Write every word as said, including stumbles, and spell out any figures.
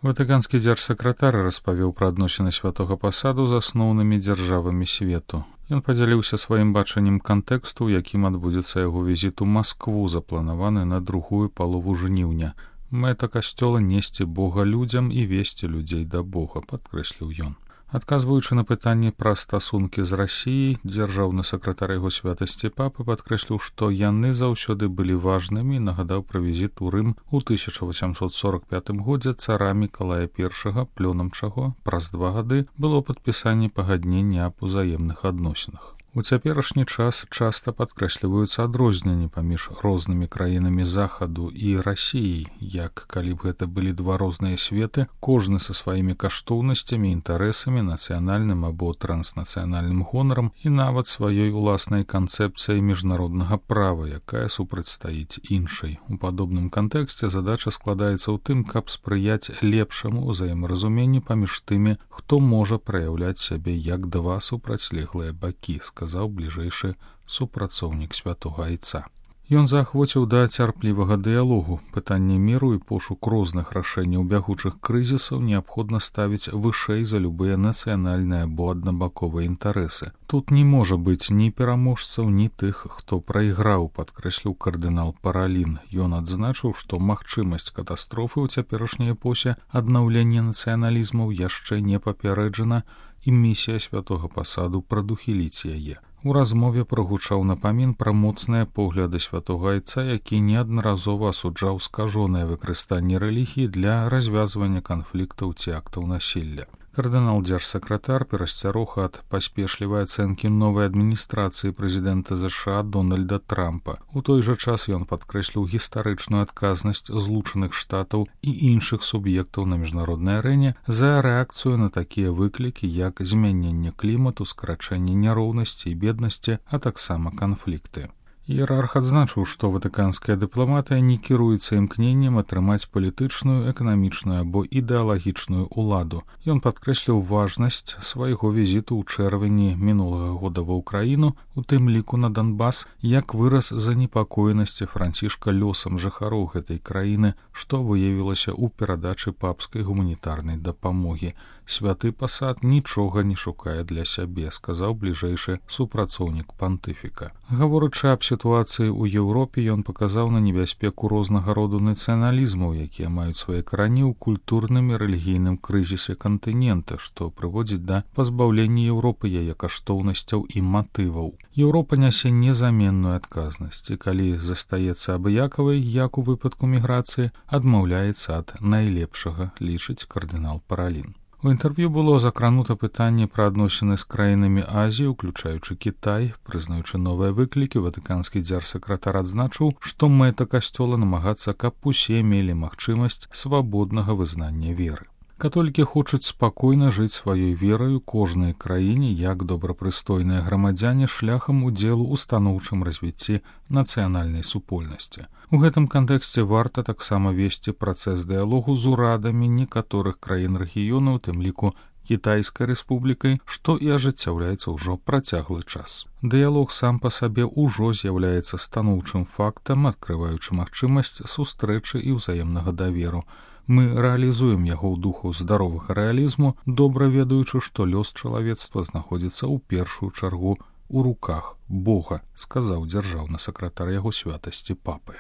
Ватыканскі дзяржсакратар распавёў пра адносіны святога пасаду з асноўнымі дзяржавамі свету. Ён падзяліўся сваім бачаннем кантэксту, у якім адбудзецца яго візіт у Маскву, запланаваны на другую палову жніўня. Мэта касцёла несці Бога людзям і весці людзей да Бога, падкрэсліў ён. Адказваючы на пытанні пра стасункі з Расіяй, дзяржаўны сакратар яго святасці папы падкрэсліў, што яны заўсёды былі важнымі і нагадаў пра візіт у Рым у тысяча васямсот сорок пятым годзе цара Мікалая першага, плёнам чаго праз два гады было падпісанне пагаднення аб узаемных адносінах. У цяперашні час часта падкрэсліваюцца адрозненні паміж рознымі краінамі захаду і Расіяй, як калі б гэта былі два розныя светы, кожны са сваімі каштоўнасцямі, інтарэсамі, нацыянальным або транснацыянальным гонарам і нават сваёй уласнай канцэпцыяй міжнароднага права, якая супрацьстаіць іншай. У падобным кантэксце задача складаецца ў тым, каб спрыяць лепшаму ўзаемаразуменню паміж тымі, хто можа праяўляць сябе як два супрацьлеглыя бакі, сказаў бліжэйшы супрацоўнік святога айца. Ён заахвоціў да цярплівага дыялогу. Пытанне міру і пошук розных рашэнняў бягучых крызісаў неабходна ставіць вышэй за любыя нацыянальныя або аднабаковыя інтарэсы. Тут не можа быць ні пераможцаў, ні тых, хто прайграў, падкрэсліў кардынал Паралін. Ён адзначыў, што магчымасць катастрофы ў цяперашняй эпосе аднаўлення нацыяналізмаў яшчэ не папярэджана, і місія святога пасаду прадухіліць яе. У размове прагучаў напамін пра моцныя погляды святога айца, які неаднаразова асуджаў скажонае выкарыстанне рэлігіі для развязвання канфліктаў ці актаў насілля. Кардынал дзяржсакратар перасцярог ад паспешлівай ацэнкі новай адміністрацыі прэзідэнта ЗША Дональда Трампа. У той жа час ён падкрэсліў гістарычную адказнасць Злучаных Штатаў і іншых суб'ектаў на міжнароднай арэне за рэакцыю на такія выклікі, як змяненне клімату, скарачэнне няроўнасці і беднасці, а таксама канфлікты. Іерарх адзначыў, што ватыканская дыпламатыя не кіруецца імкненнем атрымаць палітычную, эканамічную або ідэалагічную ўладу. Ён падкрэсліў важнасць свайго візіту ў чэрвені мінулага года ва ўкраіну, у тым ліку на Донбас, як выраз занепакоенасці Францішка лёсам жыхароў гэтай краіны, што выявілася ў перадачы папскай гуманітарнай дапамогі. Святы пасад нічога не шукае для сябе, сказаў бліжэйшы супрацоўнік пантыфіка. Гаворачы аб сітуацыі ў Еўропе, ён паказаў на небяспеку рознага роду нацыяналізмаў, якія маюць свае карані ў культурным і рэлігійным крызісе кантынента, што прыводзіць да пазбаўлення Еўропы яе каштоўнасцяў і матываў. Еўропа нясе незаменную адказнасць, і калі застаецца абыякавай, як у выпадку міграцыі, адмаўляецца ад найлепшага, лічыць кардынал Паралін. У інтэрв'ю было закранута пытанне пра адносіны з краінамі Азіі, уключаючы Кітай. Прызнаючы новыя выклікі, ватыканскі дзяржсакратар адзначыў, што мэта касцёла намагацца, каб усе мелі магчымасць свабоднага вызнання веры. Католікі хочуць спакойна жыць сваёй вераю кожнай краіне як добрапрыстойныя грамадзяне шляхам удзелу ў станоўчым развіцці нацыянальнай супольнасці. У гэтым кантэксце варта таксама весці працэс дыялогу з урадамі некаторых краін рэгіёну, у тым ліку Кітайскай рэспублікай, што і ажыццяўляецца ўжо працяглы час. Дыялог сам па сабе ўжо з'яўляецца станоўчым фактам, адкрываючы магчымасць сустрэчы і ўзаемнага даверу. Мы рэалізуем яго ў духу здаровага рэалізму, добра ведаючы, што лёс чалавецтва знаходзіцца ў першую чаргу ў руках Бога, сказаў дзяржаўны сакратар яго святасці папы.